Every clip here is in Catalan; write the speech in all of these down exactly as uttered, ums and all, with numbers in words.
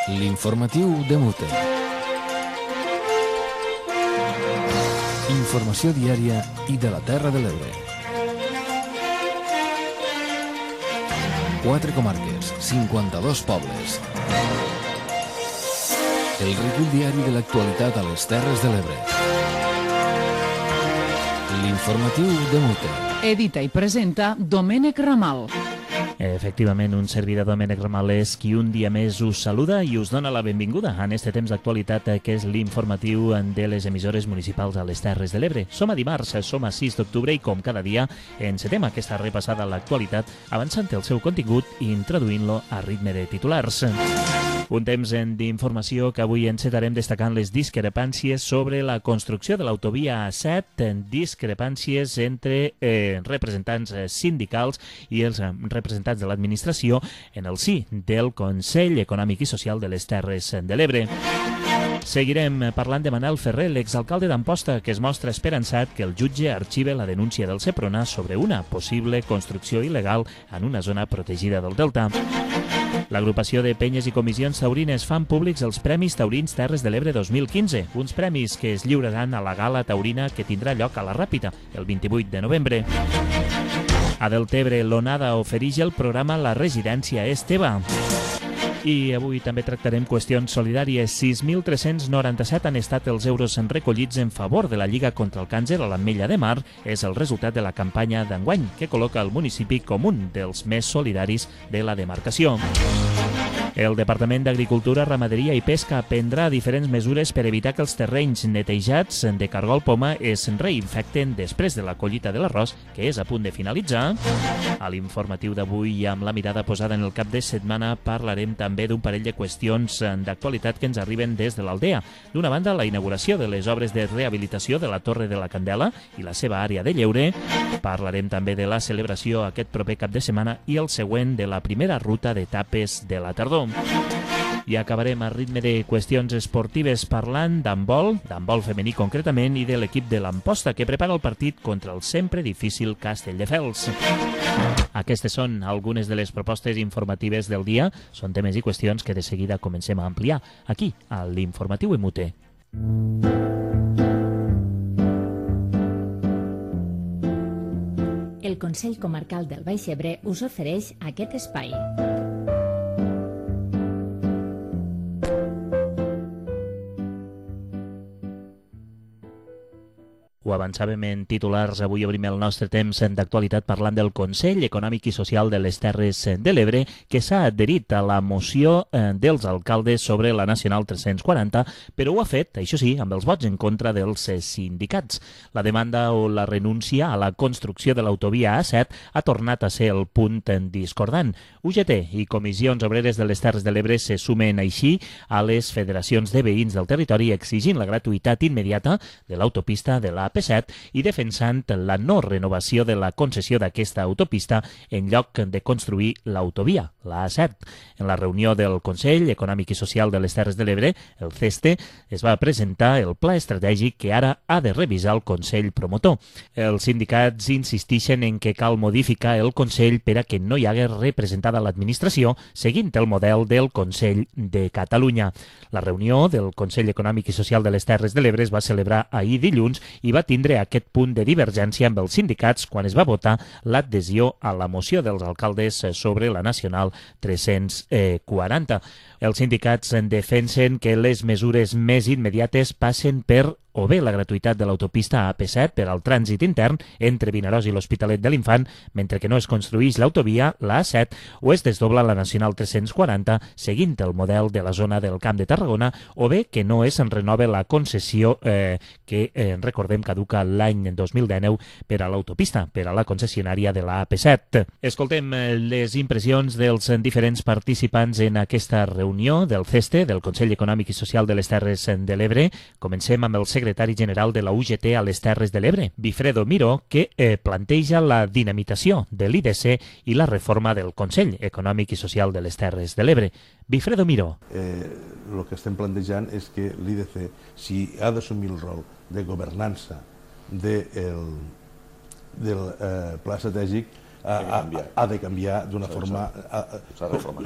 L'informatiu de Mute. Informació diària i de la Terra de l'Ebre. Quatre comarques, cinquanta-dos pobles. El recull diari de l'actualitat a les Terres de l'Ebre. L'informatiu de Mute. Edita i presenta Domènec Ramal. Efectivament, un servidor Domènec Ramal és qui un dia més us saluda i us dona la benvinguda en este temps d'actualitat que és l'informatiu de les emissores municipals a les Terres de l'Ebre. Som a dimarts, som a sis d'octubre i com cada dia encetem aquesta repassada a l'actualitat avançant el seu contingut i introduint-lo a ritme de titulars. Un temps d'informació que avui encetarem destacant les discrepàncies sobre la construcció de l'autovia A set, discrepàncies entre eh, representants sindicals i els representants de l'administració en el si del Consell Econòmic i Social de les Terres de l'Ebre. Seguirem parlant de Manel Ferrer, l'exalcalde d'Amposta, que es mostra esperançat que el jutge arxive la denúncia del Seprona sobre una possible construcció il·legal en una zona protegida del Delta. L'agrupació de penyes i comissions taurines fan públics els Premis Taurins Terres de l'Ebre dos mil quinze, uns premis que es lliuraran a la gala taurina que tindrà lloc a la Ràpita el vint-i-vuit de novembre. A Deltebre, l'Onada ofereix el programa La Residència és teva. I avui també tractarem qüestions solidàries. sis mil tres-cents noranta-set han estat els euros recollits en favor de la Lliga contra el Càncer a l'Ametlla de Mar. És el resultat de la campanya d'enguany, que col·loca el municipi com un dels més solidaris de la demarcació. El Departament d'Agricultura, Ramaderia i Pesca prendrà diferents mesures per evitar que els terrenys netejats de cargol poma es reinfecten després de la collita de l'arròs, que és a punt de finalitzar. A l'informatiu d'avui i amb la mirada posada en el cap de setmana parlarem també d'un parell de qüestions d'actualitat que ens arriben des de l'Aldea. D'una banda, la inauguració de les obres de rehabilitació de la Torre de la Candela i la seva àrea de lleure. Parlarem també de la celebració aquest proper cap de setmana i el següent de la primera ruta d'etapes de la tardor. I acabarem a ritme de qüestions esportives parlant d'handbol, d'handbol femení concretament, i de l'equip de l'Amposta que prepara el partit contra el sempre difícil Castelldefels. Aquestes són algunes de les propostes informatives del dia. Són temes i qüestions que de seguida comencem a ampliar aquí, a l'Informatiu de Mute. El Consell Comarcal del Baix Ebre us ofereix aquest espai. Ho avançàvem en titulars, avui obrim el nostre temps d'actualitat parlant del Consell Econòmic i Social de les Terres de l'Ebre, que s'ha adherit a la moció dels alcaldes sobre la Nacional tres-cents quaranta, però ho ha fet, això sí, amb els vots en contra dels sindicats. La demanda o la renúncia a la construcció de l'autovia A set ha tornat a ser el punt discordant. U G T i Comissions Obreres de les Terres de l'Ebre se sumen així a les federacions de veïns del territori exigint la gratuïtat immediata de l'autopista de la A P set i defensant la no renovació de la concessió d'aquesta autopista en lloc de construir l'autovia, la A set. En la reunió del Consell Econòmic i Social de les Terres de l'Ebre, el CESTE, es va presentar el pla estratègic que ara ha de revisar el Consell Promotor. Els sindicats insisteixen en que cal modificar el Consell per a que no hi hagués representada l'administració seguint el model del Consell de Catalunya. La reunió del Consell Econòmic i Social de les Terres de l'Ebre es va celebrar ahir dilluns i va tindre aquest punt de divergència amb els sindicats quan es va votar l'adhesió a la moció dels alcaldes sobre la Nacional tres-cents quaranta. Els sindicats defensen que les mesures més immediates passen per o bé la gratuïtat de l'autopista A P set per al trànsit intern entre Vinaròs i l'Hospitalet de l'Infant, mentre que no es construïx l'autovia, la A set, o es desdobla la Nacional tres-cents quaranta, seguint el model de la zona del Camp de Tarragona, o bé que no es renova la concessió eh, que, eh, recordem, caduca l'any dos mil dinou per a l'autopista, per a la concessionària de la A P set. Escoltem les impressions dels diferents participants en aquesta reunió del CESTE, del Consell Econòmic i Social de les Terres de l'Ebre. Comencem amb el secretari secretari general de la U G T a les Terres de l'Ebre, Bifredo Miró, que eh, planteja la dinamitació de l'I D C i la reforma del Consell Econòmic i Social de les Terres de l'Ebre. Bifredo Miró. Eh, el que estem plantejant és que l'I D C, si ha d'assumir el rol de governança de el, del eh, pla estratègic, ha, ha, ha de canviar d'una forma...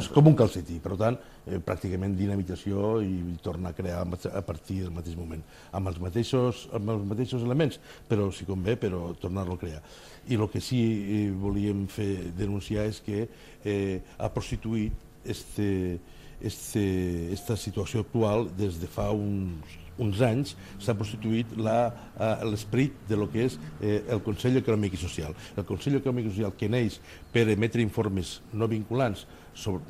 És com un calcetí, per tant, eh, pràcticament dinamització i tornar a crear a partir del mateix moment, amb els mateixos, amb els mateixos elements, però si convé, però tornar-lo a crear. I el que sí eh, volíem fer denunciar és que eh, ha prostituït este, este, esta situació actual des de fa uns uns anys s'ha prostituït l'esperit de lo que és eh, el Consell Econòmic i Social. El Consell Econòmic i Social que neix per emetre informes no vinculants sobre,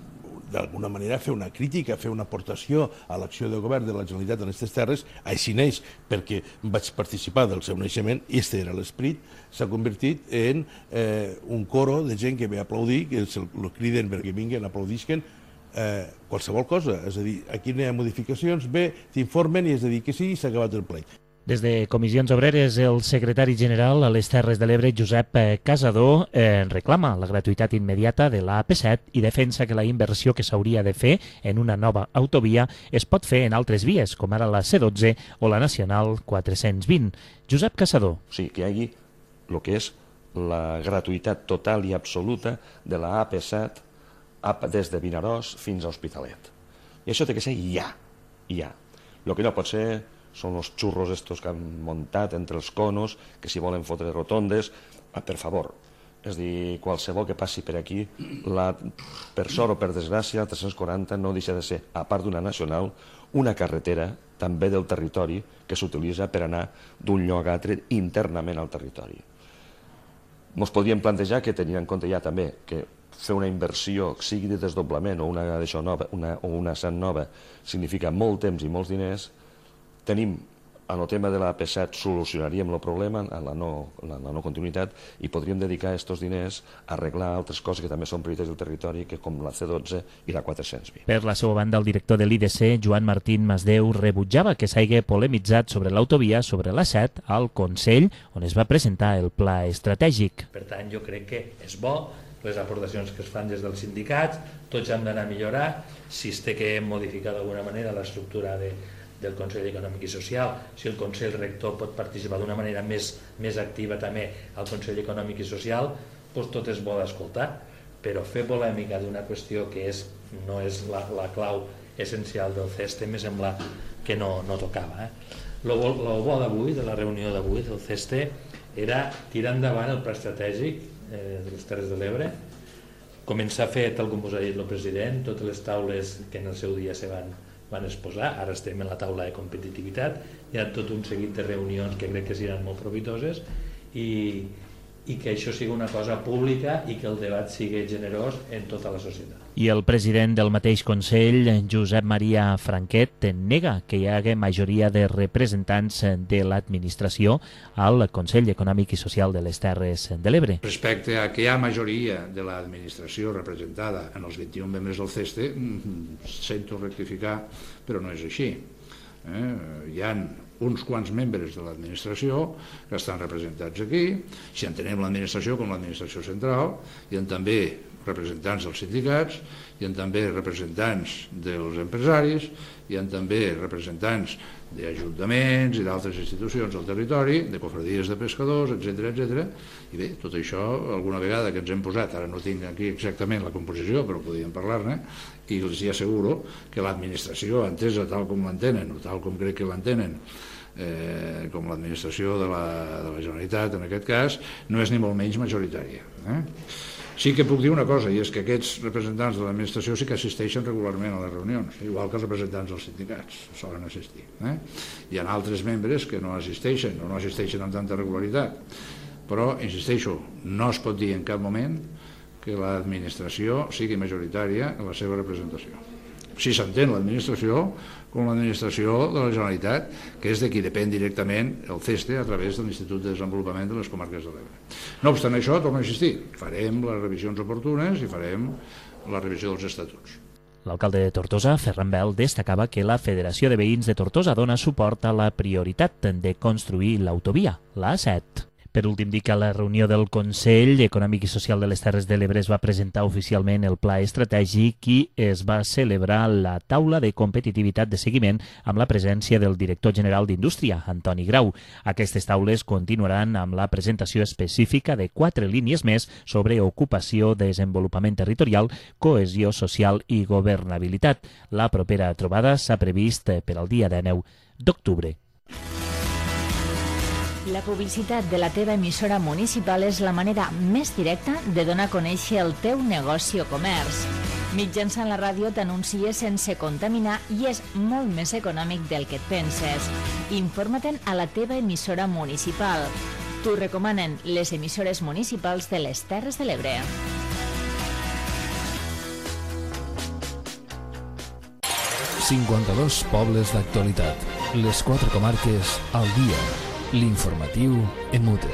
d'alguna manera, fer una crítica, fer una aportació a l'acció de govern de la Generalitat en aquestes terres, així neix perquè vaig participar del seu naixement i este era l'esperit, s'ha convertit en eh, un coro de gent que ve a aplaudir, que el, el criden perquè vinguen, aplaudisquen, Eh, qualsevol cosa, és a dir, aquí no hi ha modificacions, bé, t'informen i és a dir que sí, s'ha acabat el ple. Des de Comissions Obreres, el secretari general a les Terres de l'Ebre, Josep Casador, eh, reclama la gratuïtat immediata de l'A P set i defensa que la inversió que s'hauria de fer en una nova autovia es pot fer en altres vies, com ara la C dotze o la Nacional quatre-cents vint. Josep Casador. O sigui, que hi hagi el que és la gratuïtat total i absoluta de la A P set des de Vinaròs fins a Hospitalet. I això té que ser ja, ja. El que no pot ser són els xurros estos que han muntat entre els conos, que si volen fotre rotondes, ah, per favor. És a dir, qualsevol que passi per aquí, la, per sort o per desgràcia, el tres-cents quaranta no deixa de ser, a part d'una nacional, una carretera també del territori que s'utilitza per anar d'un lloc a altre internament al territori. Ens podríem plantejar que, tenint en compte ja també que fer una inversió, sigui de desdoblament o una d'això nova, una, o una S A N nova, significa molt temps i molts diners, tenim, en el tema de la A P set solucionaríem el problema, en la no, la, la no continuïtat, i podríem dedicar aquests diners a arreglar altres coses que també són prioritats del territori, que com la C dotze i la quatre-cents vint. Per la seva banda, el director de l'I D C, Joan Martín Masdeu, rebutjava que s'hagi polemitzat sobre l'autovia sobre l'A set al Consell, on es va presentar el pla estratègic. Per tant, jo crec que és bo les aportacions que es fan des dels sindicats, tots hem d'anar a millorar, si es té que modificar d'alguna manera l'estructura de, del Consell Econòmic i Social, si el Consell Rector pot participar d'una manera més, més activa també al Consell Econòmic i Social, doncs tot és bo d'escoltar, però fer polèmica d'una qüestió que és, no és la, la clau essencial del C E S T me sembla que no, no tocava. El eh? bo, bo d'avui, de la reunió d'avui del C E S T, era tirar endavant el pla estratègic de les Terres de l'Ebre, començar a fer, tal com us ha dit el president, totes les taules que en el seu dia se van, van exposar, ara estem en la taula de competitivitat, hi ha tot un seguit de reunions que crec que seran molt profitoses i, i que això sigui una cosa pública i que el debat sigui generós en tota la societat. I el president del mateix Consell, Josep Maria Franquet, nega que hi hagi majoria de representants de l'administració al Consell Econòmic i Social de les Terres de l'Ebre. Respecte a que hi ha majoria de l'administració representada en els vint-i-un membres del C E S T, sento rectificar, però no és així. Eh? Hi ha uns quants membres de l'administració que estan representats aquí, si entenem l'administració com l'administració central, hi ha també representants dels sindicats, hi ha també representants dels empresaris, hi ha també representants d'ajuntaments i d'altres institucions del territori, de cofradies de pescadors, etcètera, etcètera. I bé, tot això, alguna vegada que ens hem posat, ara no tinc aquí exactament la composició, però podríem parlar-ne, i els hi asseguro que l'administració, entesa tal com l'entenen, o tal com crec que l'entenen, eh, com l'administració de, la, de la Generalitat, en aquest cas, no és ni molt menys majoritària. Eh? Sí que puc dir una cosa, i és que aquests representants de l'administració sí que assisteixen regularment a les reunions, igual que els representants dels sindicats solen assistir. Eh? Hi ha altres membres que no assisteixen, o no assisteixen amb tanta regularitat, però, insisteixo, no es pot dir en cap moment que l'administració sigui majoritària en la seva representació. Si s'entén l'administració com l'administració de la Generalitat, que és de qui depèn directament el C E S T a través de l'Institut de Desenvolupament de les Comarques de l'Ebre. No obstant això, torno a insistir, farem les revisions oportunes i farem la revisió dels estatuts. L'alcalde de Tortosa, Ferran Bel, destacava que la Federació de Veïns de Tortosa dona suport a la prioritat de construir l'autovia, l'A set. Per últim, dic que a la reunió del Consell Econòmic i Social de les Terres de l'Ebre es va presentar oficialment el pla estratègic i es va celebrar la taula de competitivitat de seguiment amb la presència del director general d'Indústria, Antoni Grau. Aquestes taules continuaran amb la presentació específica de quatre línies més sobre ocupació, desenvolupament territorial, cohesió social i governabilitat. La propera trobada s'ha previst per al dia deu d'octubre. La publicitat de la teva emissora municipal és la manera més directa de donar a conèixer el teu negoci o comerç. Mitjançant la ràdio t'anuncies sense contaminar i és molt més econòmic del que et penses. Informa-te'n a la teva emissora municipal. T'ho recomanen les emissores municipals de les Terres de l'Ebre. cinquanta-dos pobles d'actualitat. Les quatre comarques al dia. L'informatiu en mute.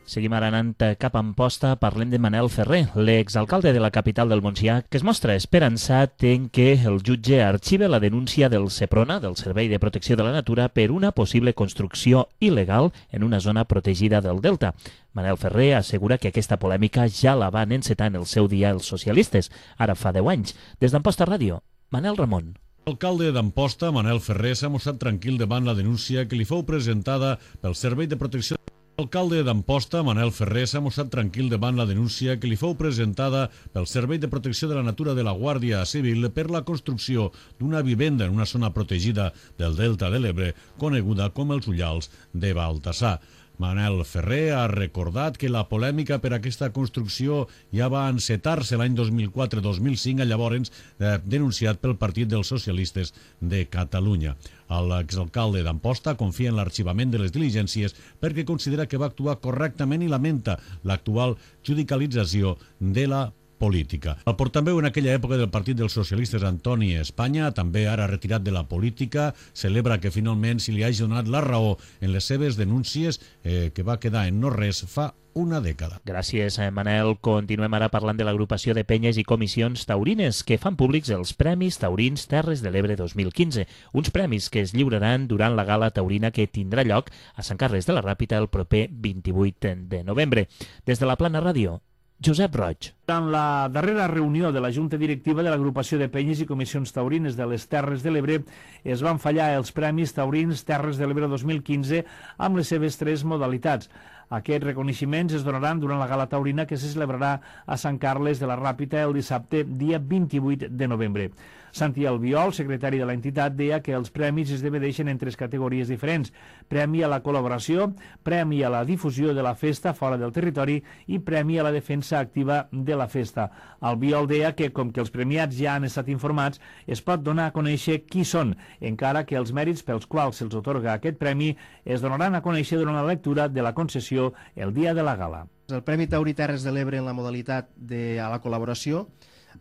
Seguim ara anant cap a Amposta, parlem de Manel Ferrer, l'exalcalde de la capital del Montsià, que es mostra esperançat en que el jutge arxive la denúncia del Seprona, del Servei de Protecció de la Natura, per una possible construcció il·legal en una zona protegida del Delta. Manel Ferrer assegura que aquesta polèmica ja la van encetar en el seu dia els socialistes, ara fa deu anys. Des d'Amposta Ràdio, Manel Ramon. L'alcalde d'Amposta, Manel Ferrer, s'ha mostrat tranquil davant la denúncia que li fou presentada pel Servei de Protecció L'alcalde d'Amposta, Manel Ferrer, s'ha mostrat tranquil davant la denúncia que li fou presentada pel Servei de Protecció de la Natura de la Guàrdia Civil per la construcció d'una vivenda en una zona protegida del Delta de l'Ebre, coneguda com els Ullals de Baltasar. Manel Ferrer ha recordat que la polèmica per aquesta construcció ja va encetar-se l'any dos mil quatre dos mil cinc, llavors eh, denunciat pel Partit dels Socialistes de Catalunya. L'exalcalde d'Amposta confia en l'arxivament de les diligències perquè considera que va actuar correctament i lamenta l'actual judicialització de la política. El portaveu en aquella època del Partit dels Socialistes, Antoni Espanya, també ara retirat de la política, celebra que finalment se li hagi donat la raó en les seves denúncies eh, que va quedar en no res fa una dècada. Gràcies, Manel. Continuem ara parlant de l'agrupació de penyes i comissions taurines que fan públics els Premis Taurins Terres de l'Ebre dos mil quinze, uns premis que es lliuraran durant la gala taurina que tindrà lloc a Sant Carles de la Ràpita el proper vint-i-vuit de novembre. Des de la Plana Ràdio, Josep Roig. En la darrera reunió de la Junta Directiva de l'Agrupació de Penyes i Comissions Taurines de les Terres de l'Ebre es van fallar els Premis Taurins Terres de l'Ebre dos mil quinze amb les seves tres modalitats. Aquests reconeixements es donaran durant la gala taurina que se celebrarà a Sant Carles de la Ràpita el dissabte, dia vint-i-vuit de novembre. Santi Albiol, secretari de l'entitat, deia que els premis es divideixen en tres categories diferents: premi a la col·laboració, premi a la difusió de la festa fora del territori i premi a la defensa activa de la festa. Albiol deia que, com que els premiats ja han estat informats, es pot donar a conèixer qui són, encara que els mèrits pels quals se'ls atorga aquest premi es donaran a conèixer durant la lectura de la concessió el dia de la gala. El Premi Taurí Terres de l'Ebre en la modalitat de a la col·laboració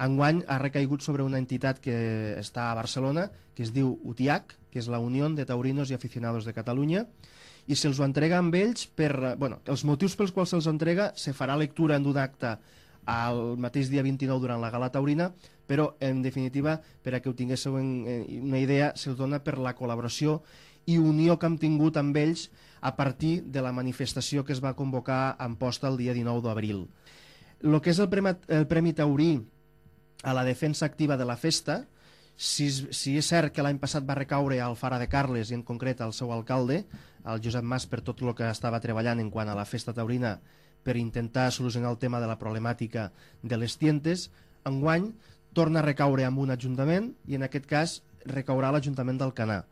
enguany ha recaigut sobre una entitat que està a Barcelona, que es diu U T I A C, que és la Unió de Taurinos i Aficionados de Catalunya, i se'ls ho entrega amb ells per... Bueno, els motius pels quals se'ls entrega se farà lectura en un acte el mateix dia vint-i-nou durant la gala taurina, però, en definitiva, per a que ho tinguéssiu una idea, se'ls dona per la col·laboració i unió que hem tingut amb ells a partir de la manifestació que es va convocar a Amposta el dia dinou d'abril. El que és el Premi, el Premi Taurí a la defensa activa de la festa, si, si és cert que l'any passat va recaure al Fara de Carles i en concret al seu alcalde, al Josep Mas, per tot el que estava treballant en quant a la festa taurina per intentar solucionar el tema de la problemàtica de les tientes, enguany torna a recaure amb un ajuntament i en aquest cas recaurà a l'Ajuntament d'Alcanar.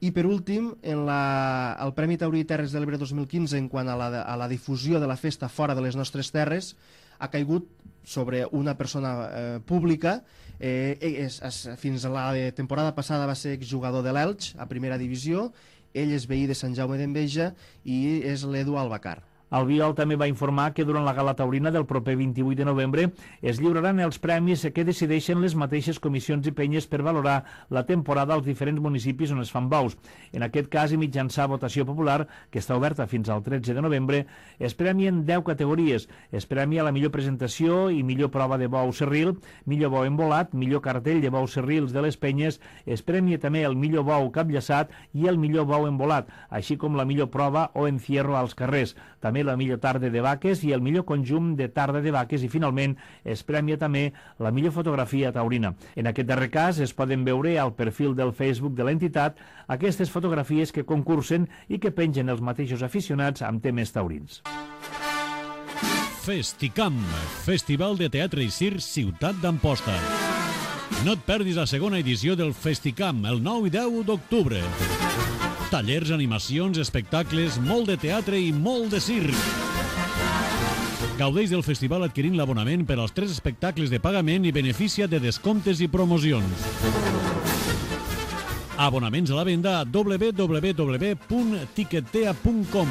I per últim, en la, el Premi Taurí Terres de l'Ebre dos mil quinze en quant a la, a la difusió de la festa fora de les nostres terres ha caigut sobre una persona eh, pública. Eh, és, és, fins a la temporada passada va ser exjugador de l'Elx a primera divisió. Ell és veí de Sant Jaume d'Enveja i és l'Edu Albacar. Albiol també va informar que durant la gala taurina del proper vint-i-vuit de novembre es lliuraran els premis que decideixen les mateixes comissions i penyes per valorar la temporada als diferents municipis on es fan bous. En aquest cas, i mitjançant votació popular, que està oberta fins al tretze de novembre, es premien deu categories. Es premia la millor presentació i millor prova de bou serril, millor bou embolat, millor cartell de bous serrils de les penyes, es premia també el millor bou capllaçat i el millor bou embolat, així com la millor prova o encierro als carrers. També la millor tarda de vaques i el millor conjunt de tarda de vaques i, finalment, es premia també la millor fotografia taurina. En aquest darrer cas es poden veure al perfil del Facebook de l'entitat aquestes fotografies que concursen i que pengen els mateixos aficionats amb temes taurins. Festicam, Festival de Teatre i Circ Ciutat d'Amposta. No et perdis la segona edició del Festicam, el nou i deu d'octubre. Tallers, animacions, espectacles, molt de teatre i molt de circ. Gaudeix del festival adquirint l'abonament per als tres espectacles de pagament i beneficia de descomptes i promocions. Abonaments a la venda a w w w punt tiquetea punt com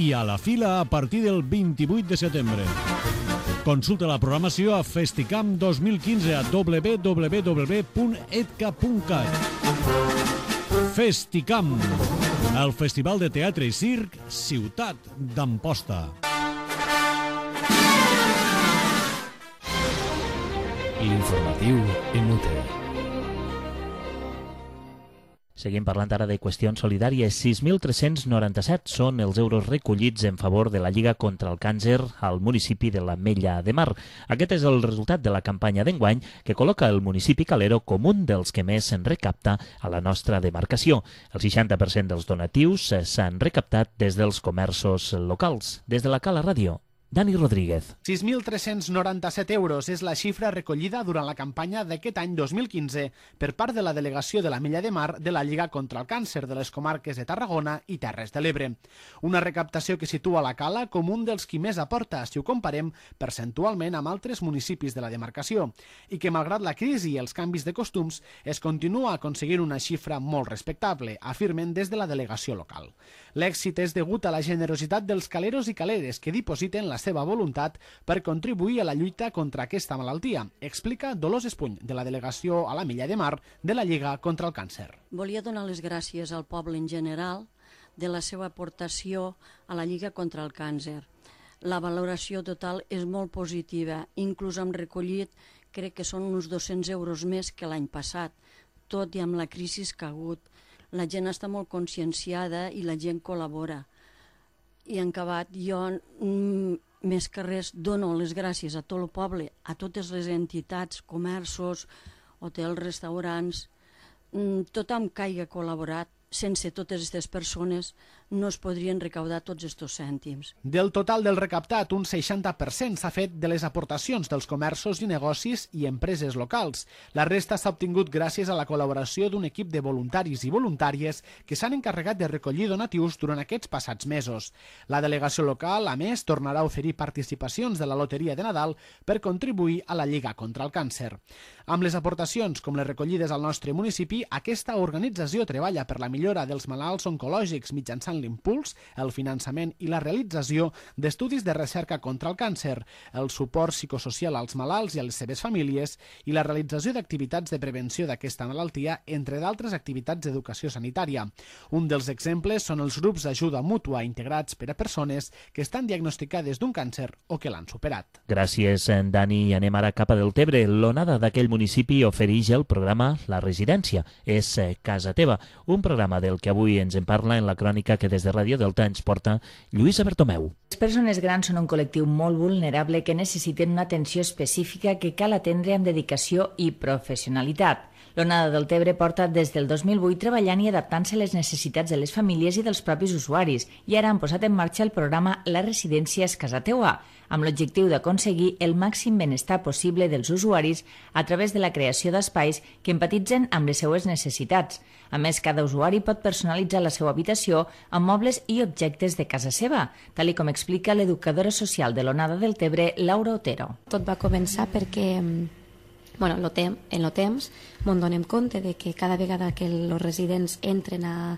i a la fila a partir del vint-i-vuit de setembre. Consulta la programació a Festicam dos mil quinze a w w w punt edca punt cat. Festicam, el Festival de Teatre i Circ Ciutat d'Amposta. L'informatiu en UTE. Seguim parlant ara de qüestions solidàries. sis mil tres-cents noranta-set són els euros recollits en favor de la Lliga contra el Càncer al municipi de l'Ametlla de Mar. Aquest és el resultat de la campanya d'enguany que col·loca el municipi calero com un dels que més se'n recapta a la nostra demarcació. El seixanta per cent dels donatius s'han recaptat des dels comerços locals. Des de la Cala Ràdio, Dani Rodríguez. sis mil tres-cents noranta-set euros és la xifra recollida durant la campanya d'aquest any dos mil quinze per part de la delegació de l'Ametlla de Mar de la Lliga contra el Càncer de les comarques de Tarragona i Terres de l'Ebre. Una recaptació que situa la Cala com un dels qui més aporta si ho comparem percentualment amb altres municipis de la demarcació i que, malgrat la crisi i els canvis de costums, es continua aconseguint una xifra molt respectable, afirmen des de la delegació local. L'èxit és degut a la generositat dels caleros i caleres que dipositen la seva voluntat per contribuir a la lluita contra aquesta malaltia, explica Dolors Espuny, de la delegació a l'Ametlla de Mar de la Lliga contra el Càncer. Volia donar les gràcies al poble en general de la seva aportació a la Lliga contra el Càncer. La valoració total és molt positiva, inclús hem recollit, crec que són uns dos-cents euros més que l'any passat, tot i amb la crisi que ha hagut. La gent està molt conscienciada i la gent col·labora. I en acabat, jo mm, més que res dono les gràcies a tot el poble, a totes les entitats, comerços, hotels, restaurants, mm, tothom que hagi col·laborat. Sense totes aquestes persones no es podrien recaudar tots aquests cèntims. Del total del recaptat, un seixanta per cent s'ha fet de les aportacions dels comerços i negocis i empreses locals. La resta s'ha obtingut gràcies a la col·laboració d'un equip de voluntaris i voluntàries que s'han encarregat de recollir donatius durant aquests passats mesos. La delegació local, a més, tornarà a oferir participacions de la Loteria de Nadal per contribuir a la Lliga contra el Càncer. Amb les aportacions com les recollides al nostre municipi, aquesta organització treballa per la millora dels malalts oncològics mitjançant l'impuls, el finançament i la realització d'estudis de recerca contra el càncer, el suport psicosocial als malalts i a les seves famílies i la realització d'activitats de prevenció d'aquesta malaltia, entre d'altres activitats d'educació sanitària. Un dels exemples són els grups d'ajuda mútua integrats per a persones que estan diagnosticades d'un càncer o que l'han superat. Gràcies, Dani. Anem ara cap a Deltebre. L'onada d'aquell municipi ofereix el programa La Residència. És Casa Teva, un programa del que avui ens en parla en la crònica que des de Ràdio Delta ens porta Lluïsa Bertomeu. Les persones grans són un col·lectiu molt vulnerable que necessiten una atenció específica que cal atendre amb dedicació i professionalitat. L'Onada del Tebre porta des del dos mil vuit treballant i adaptant-se a les necessitats de les famílies i dels propis usuaris i ara han posat en marxa el programa La Residència és Casa Teua, amb l'objectiu d'aconseguir el màxim benestar possible dels usuaris a través de la creació d'espais que empatitzen amb les seues necessitats. A més, cada usuari pot personalitzar la seva habitació amb mobles i objectes de casa seva, tal com explica l'educadora social de l'Onada del Tebre, Laura Otero. Tot va començar perquè bueno, lo tem, en el temps ens donem compte de que cada vegada que els residents entren a,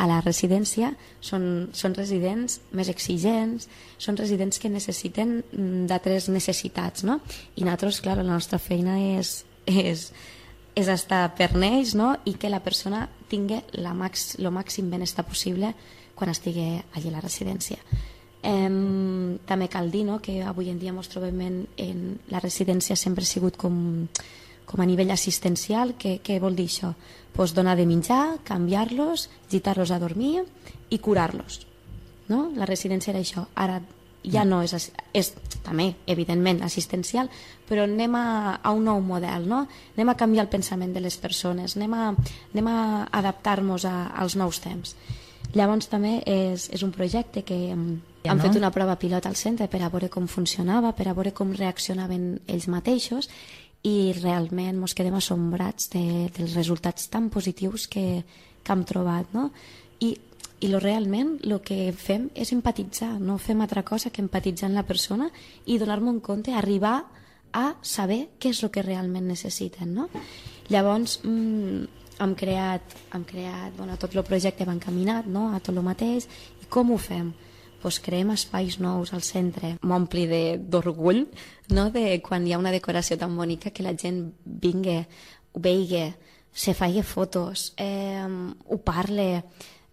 a la residència són, són residents més exigents, són residents que necessiten d'altres necessitats, no? I nosaltres, clar, la nostra feina és, és, és estar per ells, no? I que la persona tingui el max, màxim benestar possible quan estigui allà a la residència. Eh, també cal dir, no?, que avui en dia ens trobem en, en la residència sempre ha sigut com... com a nivell assistencial. Què, què vol dir això? Pues donar de menjar, canviar-los, gitar-los a dormir i curar-los. No? La residència era això. Ara ja no és, és també, evidentment, assistencial, però anem a, a un nou model, no? Anem a canviar el pensament de les persones, anem a, anem a adaptar-nos als nous temps. Llavors també és, és un projecte que ja hem no? fet una prova pilot al centre per a veure com funcionava, per a veure com reaccionaven ells mateixos, i realment ens quedem assombrats de, dels resultats tan positius que, que hem trobat, no? I, i lo realment el que fem és empatitzar, no fem altra cosa que empatitzar amb la persona i donar-me un compte, arribar a saber què és el que realment necessiten, no? Llavors mmm, hem creat, hem creat bueno, tot el projecte va encaminat, no?, a tot el mateix. I com ho fem? Pues creem espais nous al centre. M'ompli d'orgull, no?, de quan hi ha una decoració tan bonica que la gent vingui, ho veigui, se faci fotos, eh, ho parle.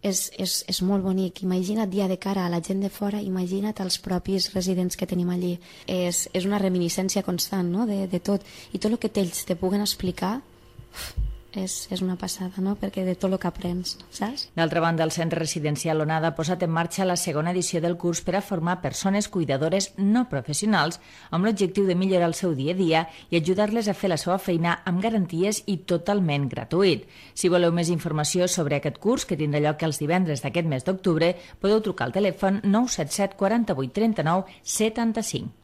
És, és, és molt bonic. Imagina't dia de cara a la gent de fora, imagina't els propis residents que tenim allí. És, és una reminiscència constant, no?, de, de tot. I tot el que ells te puguen explicar És, és una passada, no?, perquè de tot el que aprens, saps? D'altra banda, el Centre Residencial Onada ha posat en marxa la segona edició del curs per a formar persones cuidadores no professionals amb l'objectiu de millorar el seu dia a dia i ajudar-les a fer la seva feina amb garanties i totalment gratuït. Si voleu més informació sobre aquest curs, que tindrà lloc els divendres d'aquest mes d'octubre, podeu trucar al telèfon nou set set quaranta-vuit trenta-nou setanta-cinc.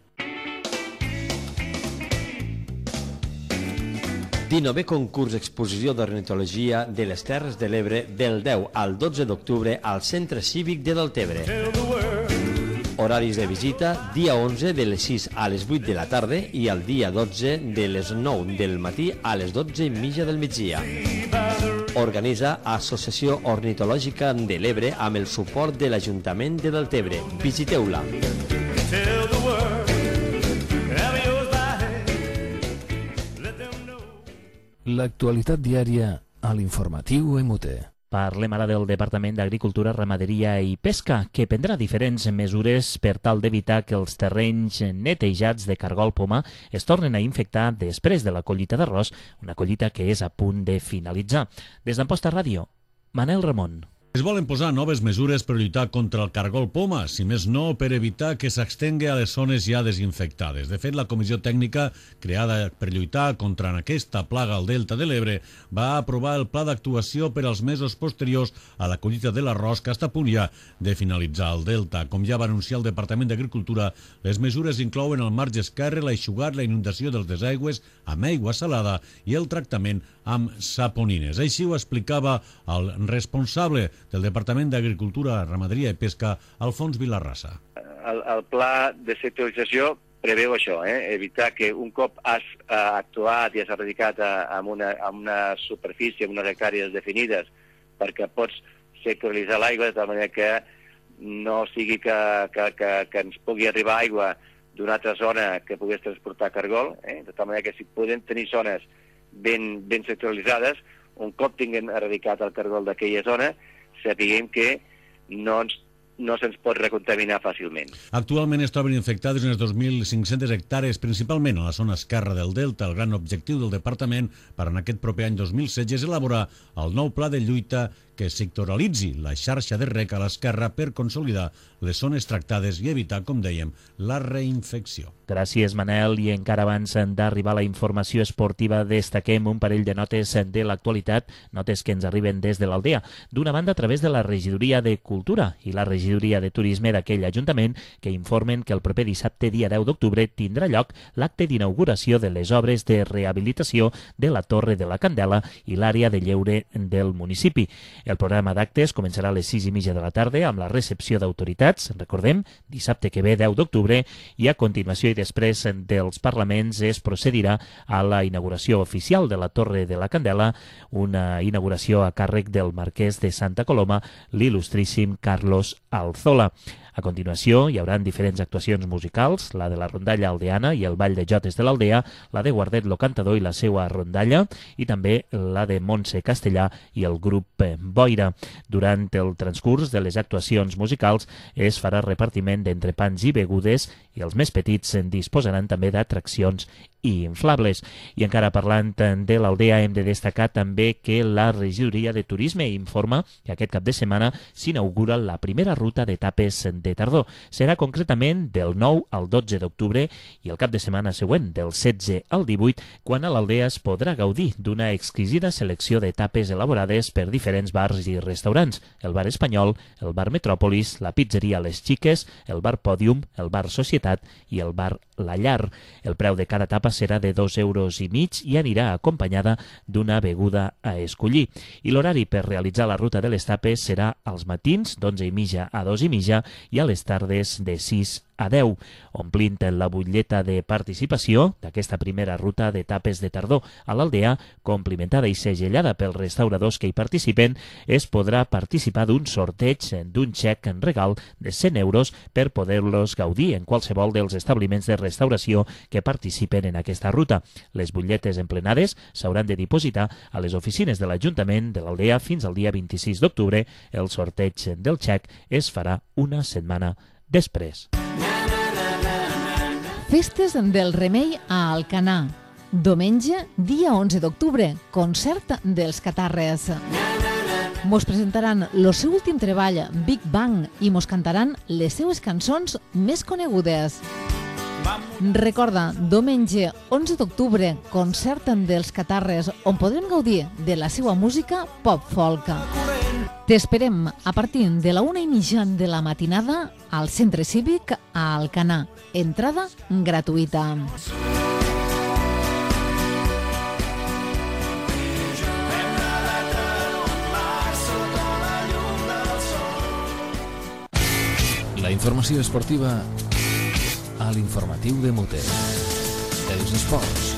dinovè concurs exposició d'ornitologia de les Terres de l'Ebre del deu al dotze d'octubre al Centre Cívic de Deltebre. Horaris de visita, dia onze de les sis a les vuit de la tarda i el dia dotze de les nou del matí a les dotze i mitja del migdia. Organitza Associació Ornitològica de l'Ebre amb el suport de l'Ajuntament de Deltebre. Visiteu-la. L'actualitat diària a l'informatiu M U T. Parlem ara del Departament d'Agricultura, Ramaderia i Pesca, que prendrà diferents mesures per tal d'evitar que els terrenys netejats de cargol poma es tornen a infectar després de la collita d'arròs, una collita que és a punt de finalitzar. Des d'Amposta Ràdio, Manel Ramon. Es volen posar noves mesures per lluitar contra el cargol poma, si més no per evitar que s'estengui a les zones ja desinfectades. De fet, la comissió tècnica creada per lluitar contra aquesta plaga al Delta de l'Ebre va aprovar el pla d'actuació per als mesos posteriors a la collita de l'arròs, que està a punt ja de finalitzar al Delta. Com ja va anunciar el Departament d'Agricultura, les mesures inclouen el marge esquerre, l'aixugat, la inundació dels desaigües amb aigua salada i el tractament amb saponines. Així ho explicava el responsable del Departament d'Agricultura, Ramaderia i Pesca, Alfons Vilarrasa. El, el pla de sectorització preveu això, eh? evitar que un cop has eh, actuat i has erradicat eh, amb, una, amb una superfície, amb unes hectàrees definides, perquè pots sectoritzar l'aigua de tal manera que no sigui que, que, que, que ens pugui arribar aigua d'una altra zona que pogués transportar cargol, eh? de tal manera que si podem tenir zones ben, ben sectoritzades, un cop tinguem erradicat el cargol d'aquella zona, sapiguem que no, ens, no se'ns pot recontaminar fàcilment. Actualment es troben infectades unes dos mil cinc-centes hectàrees, principalment a la zona esquerra del Delta. El gran objectiu del departament per en aquest proper any dos mil setze és elaborar el nou pla de lluita que sectoralitzi la xarxa de rec a l'esquerra per consolidar les zones tractades i evitar, com dèiem, la reinfecció. Gràcies, Manel. I encara abans d'arribar a la informació esportiva, destaquem un parell de notes de l'actualitat, notes que ens arriben des de l'Aldea. D'una banda, a través de la Regidoria de Cultura i la Regidoria de Turisme d'aquell Ajuntament, que informen que el proper dissabte, dia deu d'octubre, tindrà lloc l'acte d'inauguració de les obres de rehabilitació de la Torre de la Candela i l'àrea de lleure del municipi. El programa d'actes començarà a les sis i mitja de la tarda amb la recepció d'autoritats, recordem, dissabte que ve, deu d'octubre, i a continuació i després dels parlaments es procedirà a la inauguració oficial de la Torre de la Candela, una inauguració a càrrec del marquès de Santa Coloma, l'il·lustríssim Carlos Alzola. A continuació hi haurà diferents actuacions musicals, la de la rondalla aldeana i el ball de jotes de l'aldea, la de Guardet lo Cantador i la seva rondalla, i també la de Montse Castellà i el grup Boira. Durant el transcurs de les actuacions musicals es farà repartiment d'entrepans i begudes i els més petits disposaran també d'atraccions i inflables. I encara parlant de l'aldea, hem de destacar també que la regidoria de turisme informa que aquest cap de setmana s'inaugura la primera ruta d'etapes de tardor. Serà concretament del nou al dotze d'octubre i el cap de setmana següent, del setze al divuit, quan a l'aldea es podrà gaudir d'una exquisida selecció d'etapes elaborades per diferents bars i restaurants: el bar Espanyol, el bar Metròpolis, la pizzeria Les Xiques, el bar Pòdium, el bar Societat i el bar La Llar. El preu de cada etapa serà de dos euros i mig i anirà acompanyada d'una beguda a escollir. I l'horari per realitzar la ruta de les tapes serà als matins d'onze i mitja a dos i mitja i a les tardes de sis a deu, omplint la butlleta de participació d'aquesta primera ruta d'etapes de tardor a l'aldea, complimentada i segellada pels restauradors que hi participen. Es podrà participar d'un sorteig d'un xec en regal de cent euros per poder-los gaudir en qualsevol dels establiments de restauració que participen en aquesta ruta. Les butlletes emplenades s'hauran de dipositar a les oficines de l'Ajuntament de l'aldea fins al dia vint-i-sis d'octubre. El sorteig del xec es farà una setmana després. Festes del Remei a Alcanar. Diumenge, dia onze d'octubre, concert dels Catarres. Mos presentaran el seu últim treball, Big Bang, i mos cantaran les seues cançons més conegudes. Recorda, diumenge onze d'octubre, concert dels Catarres, on podrem gaudir de la seva música pop-folk. T'esperem a partir de la una i mitja de la matinada al Centre Cívic a Alcanar. Entrada gratuïta. La informació esportiva a l'informatiu de Muter. Els esports.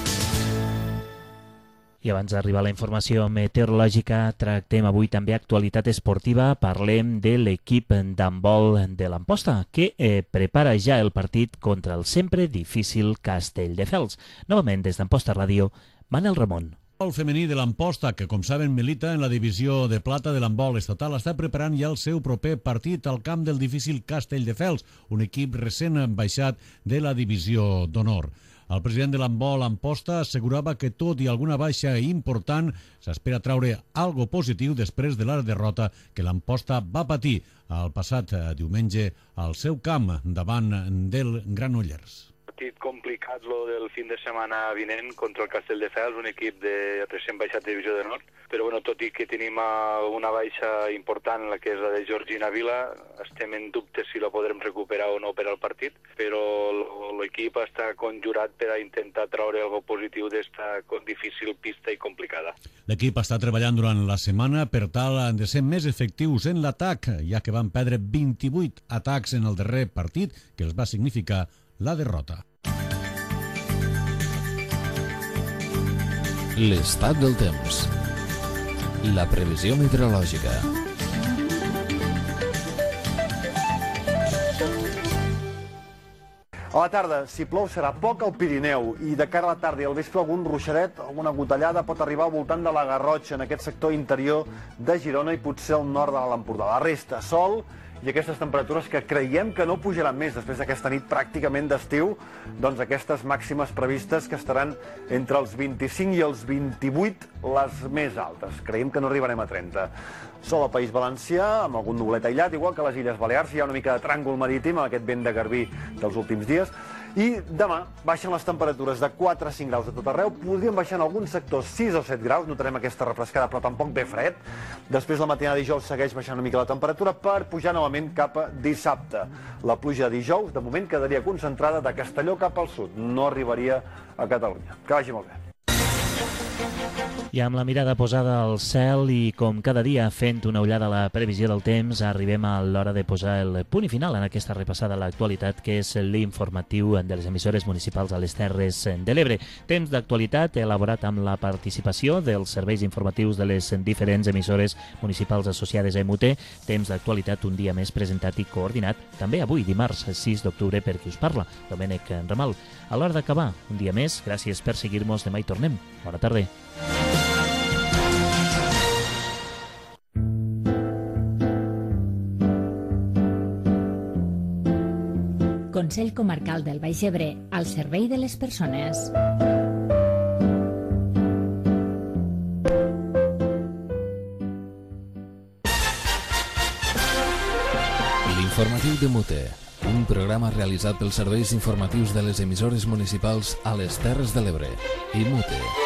I abans d'arribar a la informació meteorològica, tractem avui també actualitat esportiva. Parlem de l'equip d'handbol de l'Amposta, que eh, prepara ja el partit contra el sempre difícil Castelldefels. Novament, des d'Amposta Ràdio, Manel Ramon. El femení de l'Amposta, que com saben milita en la divisió de plata de l'handbol estatal, està preparant ja el seu proper partit al camp del difícil Castelldefels, un equip recent baixat de la divisió d'honor. El president de l'handbol Amposta assegurava que tot i alguna baixa important s'espera traure algo positiu després de la derrota que l'Amposta va patir el passat diumenge al seu camp davant del Granollers. Partit complicat lo del fin de setmana vinent contra el Castelldefels, un equip de recent baixat de divisió de nord, però bueno, tot i que tenim una baixa important, la que és la de Georgina Vila, estem en dubte si la podrem recuperar o no per al partit, però l'equip està conjurat per a intentar traure algo positiu d'esta difícil pista i complicada. L'equip està treballant durant la setmana per tal de ser més efectius en l'atac, ja que van perdre vint-i-vuit atacs en el darrer partit, que els va significar la derrota. L'estat del temps. La previsió meteorològica. A la tarda, si plou, serà poc al Pirineu i de cara a la tarda i al vespre algun ruixadet, alguna gotellada pot arribar al voltant de la Garrotxa, en aquest sector interior de Girona i potser al nord de l'Empordà. La resta, sol i aquestes temperatures que creiem que no pujaran més després d'aquesta nit pràcticament d'estiu, doncs aquestes màximes previstes que estaran entre els vint-i-cinc i els vint-i-vuit, les més altes. Creiem que no arribarem a trenta. Sol al País Valencià, amb algun nublet aïllat, igual que a les Illes Balears. Hi ha una mica de tràngol marítim amb aquest vent de garbí dels últims dies. I demà baixen les temperatures de quatre a cinc graus a tot arreu. Podrien baixar en alguns sectors sis o set graus, notarem aquesta refrescada, però tampoc ve fred. Després la matinada de dijous segueix baixant una mica la temperatura per pujar novament cap a dissabte. La pluja de dijous, de moment, quedaria concentrada de Castelló cap al sud. No arribaria a Catalunya. Que vagi molt bé. I amb la mirada posada al cel i com cada dia fent una ullada a la previsió del temps, arribem a l'hora de posar el punt i final en aquesta repassada a l'actualitat, que és l'informatiu de les emissores municipals a les Terres de l'Ebre. Temps d'actualitat elaborat amb la participació dels serveis informatius de les diferents emissores municipals associades a E M U T. Temps d'actualitat un dia més presentat i coordinat, també avui, dimarts sis d'octubre, per qui us parla, Domènec Ramal. A l'hora d'acabar, un dia més, gràcies per seguir-nos, demà hi tornem. Bona tarda. Consell Comarcal del Baix Ebre, al servei de les persones. L'informatiu de Mute, un programa realitzat pels serveis informatius de les emissores municipals a les Terres de l'Ebre. I Mute.